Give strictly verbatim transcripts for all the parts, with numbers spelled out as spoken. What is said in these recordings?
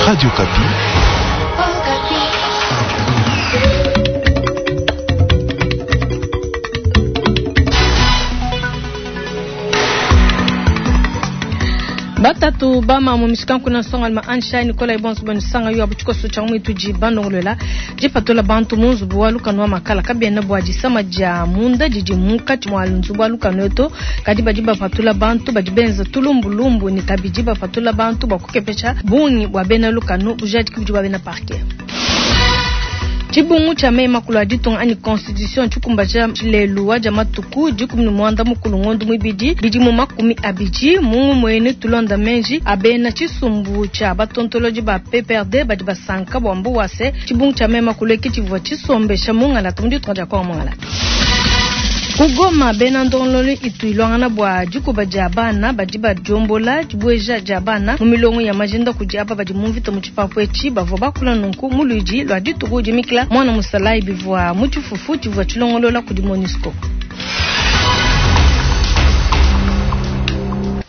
Radio Okapi. Batatu bama mu mishikanku na nsonga alima Ansha Nicola Ibonso banisanga yo abuchikoso cha mwitu ji bandongolola jipatola bantu mu nzubu wa lukanu wa makala kabiena bua disama dia munda didi munkatshi mua nzubu wa lukanu eto kadi badi bapatula bantu badi benza tulumbulumbu ni kabidi bapatula bantu bua kukepesha bungi bua bena lukanu bujadiki budi bua bena parquet. Tshibungu tshia meyi makulu a ditunga anyi constitution tshikumbaja lelu wa dia matuku dikumi ne muanda mukulu ngondo muibidi bidimu makumi abidi mu ngumue tulonda menji abena tshisumbu tshia batontolodi ba P P R D badi basanka bua mbu wase tshibungu tshia meyi makulu eki tshivua tshisombesha mungalata mu ditunga dia Kongo mungalata. Kugoma bena ndongololo itu ilwangana bua dikuba dia bana badi badiombola dibueja dia bana mu milongo ya majinda kudi aba badi mu mvita mu tshipapu etshi bavua bakula nunku mu luidi lua dituku dimikila mwana musalayi bivua mu tshifufu tshivua tshilongolola kudi MONUSCO.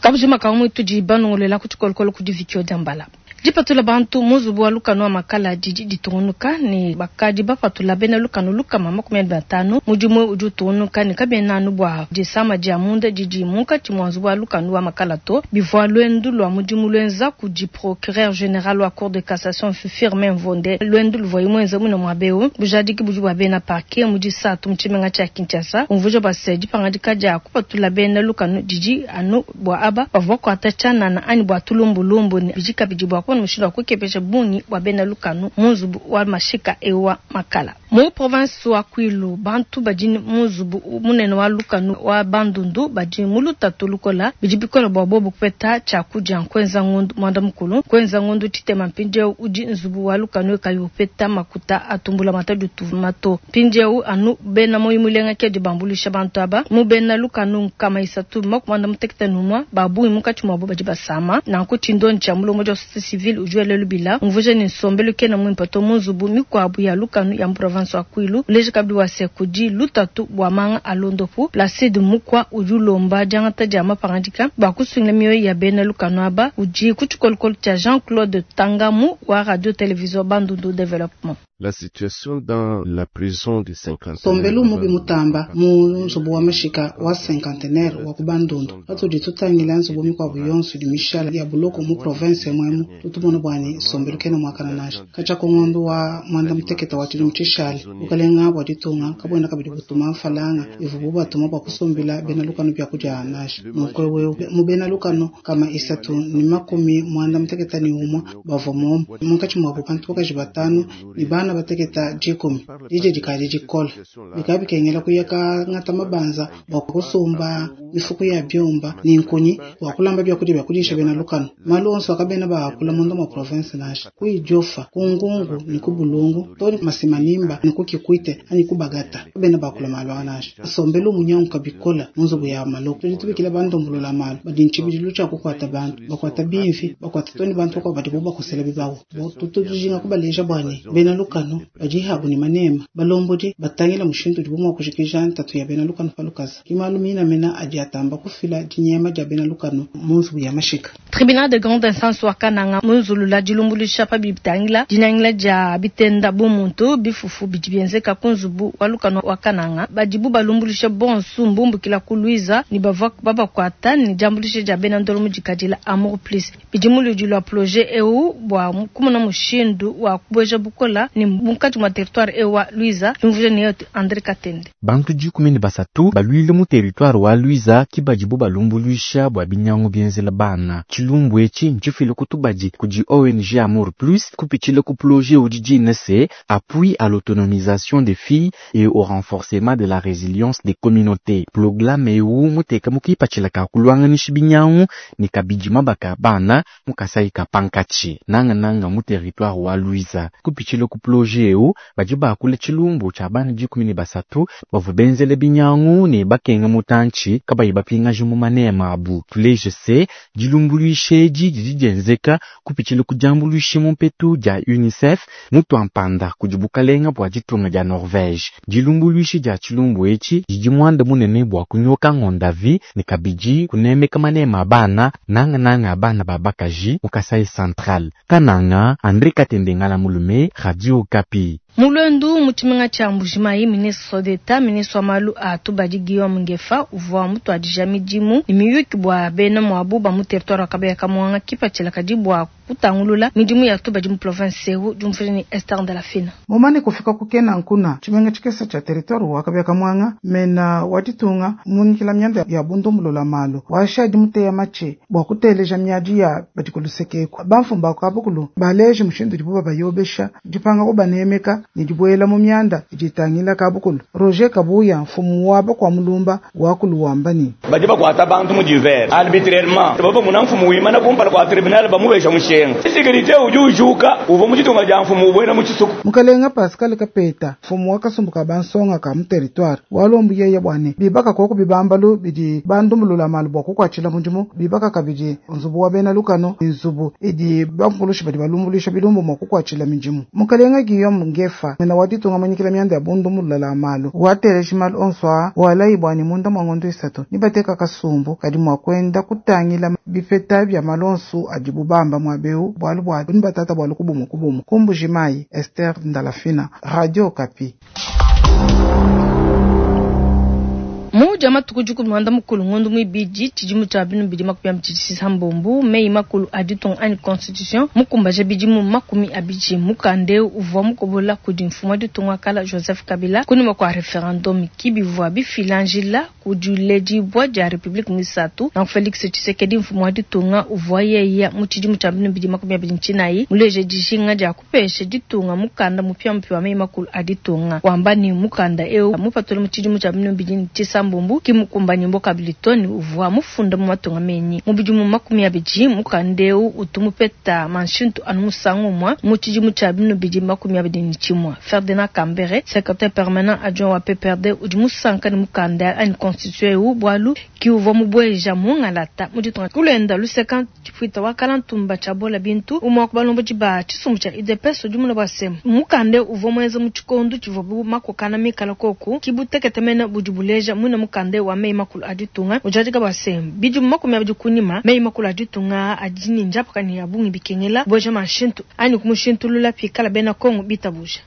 Kabujima kamwe tudi banongolela ku tshikolokolo kudi Vikio Diambala. Dipatula bantu mu nzubu wa lukanu wa makala didi ditungunuka ne bakadi bapatula bena lukanu lukama makumi abidi atanu mudimu udi utungunuka ne kabiena anu bua disama dia munda didi munkatshi mua nzubu wa lukanu wa makala to bivua luendu lua mudimu luenza kudi procureur général wa cour de cassation Firmin Mvonde luendu luvua imwenza muna muabeu bujadiki budi bua bena parquet mu disatu mu tshimenga tshia Kinshasa umvuja bua se dipangadika dia kupatula bena lukanu didi anu bua aba bavua kuata tshianana anyi bua tulumbulumbu ne bidi kabidi bua kubona mushindu wa kukepesha bungi bua bena lukanu mu nzubu wa mashika ewa makala. Mu province wa Kwilu bantu badi mu nzubu munene wa lukanu wa Bandundu badi mu lutatu lukola bidi bikola bua bobu kupeta tshiakudia nkuenza ngondu mwanda mukulu nkuenza ngondu tshitema mpindieu udi nzubu wa lukanu kayi upeta makuta atumbula matadi tumato mpindieu anu bena moyo mulenga ke dibambulisha bantu aba mu bena lukanu nkama isatu makumanda mutekete numwa babungi munkatshi muabo badi basama nanku tshindoni tshia mulongo dia société civile ujwele lubila umvuja ni nsombelu kena mwimpe to mu nzubu mikuabu ya lukanu ya province wa Kwilu uleje kabidi wa se kudi lutatu bua manga alondopu Placide Mukwa udi ulomba diangata dia mapangadika bua kusungila mioyo ya bena lukanu aba udi ku tshikolokolo tshia Jean-Claude Tangamu wa radio télévision Bandundu Développement. La situation dans la prison du cinquantenaire. Sombelu mubi mutamba mu nzubu wa mashika wa cinquantenaire wa ku Bandundu patudi tutangila nzubu mikuabu yonso idi mishala ya buloko mu province mwemu tutumona bwani sombelu kena mwakana nasha kacha kongondo wa mwanda muteketa wa tshidimu tshishale bukalenga bua ditunga kabwena kabidi butuma mfalanga ivubu batuma bua kusombela bena lukanu bya kudia nasha nukwe wewe mu bena lukanu kama isatu ni makumi mwanda muteketa ni umwe bavua momo munkatshi muabu bantu bakaji batanu ni bana bateketa dikumi dije dikali dikola bikaba bikengela kuyaka ngata mabanza bua kusumba mifuko ya byumba ni nkunyi bua kulamba byakudia byakudisha bena lukanu malu onso akabena baakula munda mwa province nasha kuidjofa kungungu ni kubulungu toni masimanimba ni kukikwite ani kubagata bena bakula malu anasha sombelu munyanka bikola munzubu ya maloko tudi tubikila bandombolola malu badi ntshibidilu tshia kukwata bantu bakwata bimvi bakwata toni bantu kwa badi bubakosela bibawo tutujinga kubaleja bwani bena lukanu badi habu ni manema balombodi batangila mushindu udi bumwa kushikija ntatu ya bena lukanu palukaza kimalu mina mena adi atamba kufila dinyema dia bena lukanu munzubu ya mashika. Tribunal de grande instance wa Kananga munzulula dilumbulisha pa bitangila dinangila dia bitenda bumuntu bifufu bidi bienzeka ku nzubu wa lukanu wa Kananga badibu balumbulisha bonsu mbumbukila ku Luiza ni bavua babakwata ni diambulisha dia bena ndolo mudikadila Amour Plus bidi muludi lwa projet eu bua kumona mushindu wa kubueja bukola ni munkatshi mwa territoire eu wa Luiza imvuja ni yote André Katende. Bantu dikumi ne basatu baluile mu territoire wa Luiza kibadibu balumbulisha bua binyangu bienzela bana tshilumbu etshi ntshifile kutubadi kudi O N G Amour Plus kupitshile ku projet udi dina se appui à l'autonomisation des filles et au renforcement de la résilience des communautés. Programme eu muteka mukipatshila ka kulwanganisha binyangu ni kabidi mabaka bana mukasai ka pankatshi nanga nanga mu territoire wa Luiza kupitshile ku projet Mu ploje eu badi bakula tshilumbu tshia bana dikumi ne basatu bavua benzele binyangu ne bakenga mutantshi kabayi bapingaja mu manema abu. Tuleje se dilumbuluisha edi didi dienzeka kupitshila ku diambuluisha mu mpetu dia UNICEF mutuampanda kudi bukalenga bua ditunga dia Norvège. Dilumbuluisha dia tshilumbu etshi didi muanda munene bua kunyoka ngondavi ne kabidi kunemeka manema a bana nangananga a bana ba bakaji mu Kasai Central. Kananga, André Katende Ngala Mulume, Radio Okapi. Mulwendu mu tshimenga tshia Mbujimayi, ministre d'Etat, ministre wa malu a tubadi Guillaume Ngefa uvua mutuadija midimu ne miyuki bua bena muabu ba mu territoire wa Kabeya Kamwanga kipatshila kadi bua kutangulula midimu ya tubadi mu province eu diumvuija ne Esther Ndalafina. Mumane kufika ku Kenankuna tshimenga tshikese tshia territoire wa Kabeya Kamwanga mena wa ditunga munyikila mianda ya bundumbulula malu washadi muteya matshi bua kuteleja miadi ya badi kulusekeku bamfumba kabukulu baleje mushindu dibu babayobesha dipanga kubanemeka ne dibuela mu mianda idi itangila kabukulu. Roger Kabuya mfumu wa bakwa mulumba wakulu wamba ni badi bakwata bantu mu divers arbitrairement baba muna mfumu wimana kumpala kwa tribunal bamubesha mushenga sécurité udi ujuka uva mu ditunga dia mfumu ubwena mu tshisuku. Mukalenga Pascal Kapeta mfumu wa kasumbu ka bansonga ka mu territoire walombu yeye bwane bibaka koko bibambalu bidi bandumbulula malu bua kukwatshila mudimu bibaka kabidi nzubu wa bena lukano nzubu idi bankulushi badi balumbuluisha bilumbu mua kukwatshila midimu. Mukalenga Guillaume Ngefa mena wa ditunga manyikila mianda ya bundumbulula malu wateleji malu onso a walayi bwane munda mwa ngondo isatu nibateka kasumbu kadi mua kwenda kutangila bipeta bya malu onso adibu bamba mwa beu bwalu bwa nibatata bwalu kubumu kubumu. Kumbujimayi, Esther Ndalafina, Radio Okapi. Muja matuku dikumi muanda mukulu ngondo muibidi tshidimu tshia binu bidi makumi abidi tshisambombo meyi makulu a ditunga anyi constitution mukumbaja bidimu makumi abidi mukande uvua mukobola kudi mfumu wa ditunga kala Joseph Kabila kunyima kua referendum kibivua bifila njila kudiledibua dia republique misatu na Felix Tshisekedi mfumu wa ditunga uvua yeya mu tshidimu tshia binu bidi makumi abidi ntshinai muleje dijinga dia kupesha ditunga mukanda mupya wa meyi makulu a ditunga wamba ni mukanda eu mupatula mu tshidimu tshia binu bidi tshisambombo kimukumbani mboka bilitoni uvua mufunda mu matunga menyi mu bidimu makumi abidi mukandeu utumupeta manshintu anu musangu umwe mu tshidimu tshia binu bidi makumi abidi ne tshimue. Ferdinand Kambere secrétaire permanent adjoint wa P P R D udi musanka ne mukanda anyi constitution eu bwalu ki uvua mubweja mungalata mu ditunga kulenda luseka tshipuita wa kala ntumba tshia bola bintu umwe wa kubalombo ba tshisumbu tshia U D P S udi muna bwa semu mukande uvua muenza mu tshikondu tshivua bu makokana mikala koku kibutekete mena budi buleja muna mukande wa meyi makulu a ditunga ujadika bwa semu bidimu makumi abidi kunyima meyi makulu a ditunga adi ne njapaka ne ya bungi bikengela bweja manshintu anyi kumushintulula pikala bena Kongo bitabuja.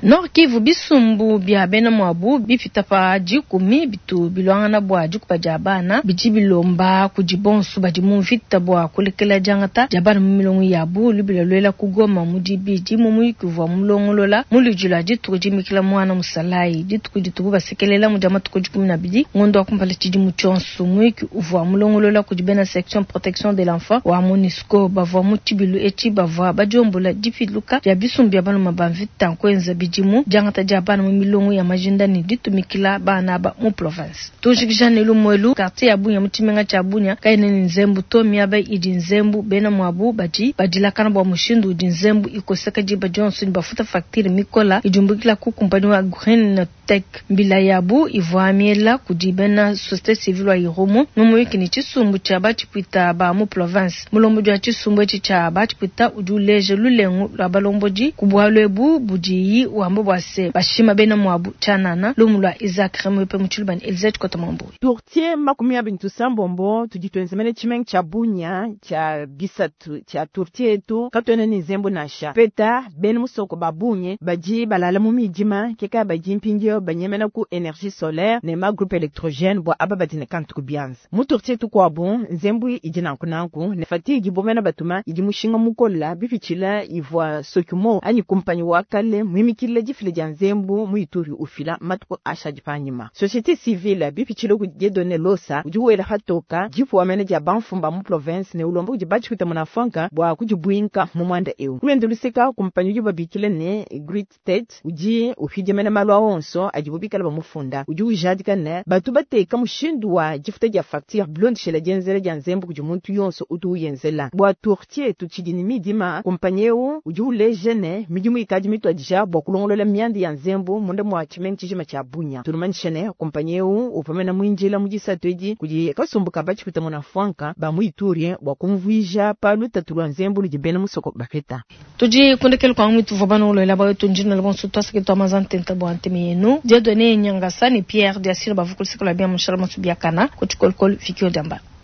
Nord Kivu bisumbu bya bena mwabu bipita pa dikumi bitu bilwangana bua dikupa dia bana bidi bilomba kudi bonso badi mu mvita bua kulekela diangata dia bana mu milongo yabu lubila lwela kugoma mu dibidi mu muyuki uvua mulongolola mu ludi lua dituku dimikila mwana musalayi dituku ditubu basekelela mu dia matuku dikumi na abidi ngondo wa kumpala tshidimu tshionso muyuki uvua mulongolola kudi bena section protection de l'enfant wa MONUSCO bavua mu tshibilu etshi bavua badiombola dipiluka dia bisumbu bya baluma ba mvita nkuenza bidi mu diangata dia bana mu milongo ya majinda ne ditumikila bana ba mu province. Tujikija ne lumwelu quartier ya Bunya mu tshimenga tshia Bunya kaine ne nzembu to miaba idi nzembu bena mwabu badi badilakana bua mushindu udi nzembu ikoseka diba dionso ne bafuta facture mikola idiumbukila ku kumpani wa Green Tech mbila yabu ivua miela kudi bena société civile wa Irumu numuyiki ne tshisumbu tshia batshipuita ba mu province. Mulombo wa tshisumbu etshi tshia batshipuita udi uleja lulengu lwa balombodi ku bualu ebu budiyi wamba bua se bashima bena mwabu tshanana lumu lwa Isaac Remwepe mu tshilubani Elizabeth Kotamambo. Tourtier makumi abiri tusambombo tudi twenzemene tshimenga tshia Bunya tshia bisatu tshia tourtier etu katuena ne nzembu nansha peta bena musoko ba Bunye badi balala mu midima keka badi mpindio banyemena ku énergie solaire ne ma groupe électrogène bua aba badi ne kantu ku bianza mu tourtier tukuabu nzembu idi nankunanku ne fatigue ibomena batuma idi mushinga mukola bipitshila ivua sokumo anyi kumpanyi wa kale muimikile utangila difila dia nzembu mu Ituri ufila matuku ashadi panyima. Société civile bipitshile ku Dieudonné Losa udi wela patoka dipuwa mene dia bamfumu ba mu province ne ulomba kudi batshikuta munafanka bua kudibuinka mu mwanda eu. Kulwende luseka kumpanyi udi babikile ne Great State udi upidia mene malu a onso adibo bikala bamufunda. Udi ujadika ne batu bateka mushindu wa difuta dia facture bilondeshela dienzela dia nzembu kudi muntu yonso utu uyenzela. Bua tourtier tutshidi ne midima kumpanyi eu udi uleja ne midimu ikadi mituadija bua kulongolola mianda ya nzembu munda mua tshimenga tshijima tshia Bunia. Tulumanyishe ne kumpanyi eu uvua mwinjila mu disatu edi kudi kasumbu ka batshikuta munafanka ba mu Ituri bua kumvuija pa lutatu lua nzembu ludi bena musoko bapeta. Tudi kundekela kwa mwitu vua bana uloela bawetu njina bonso twasake twa mazantenta bua nteme yenu. Dieudonné Nyangasa ne Pierre Diasino bavukulisaka la bia mushala masu biakana ku tshikolokolo Vikio Diambala.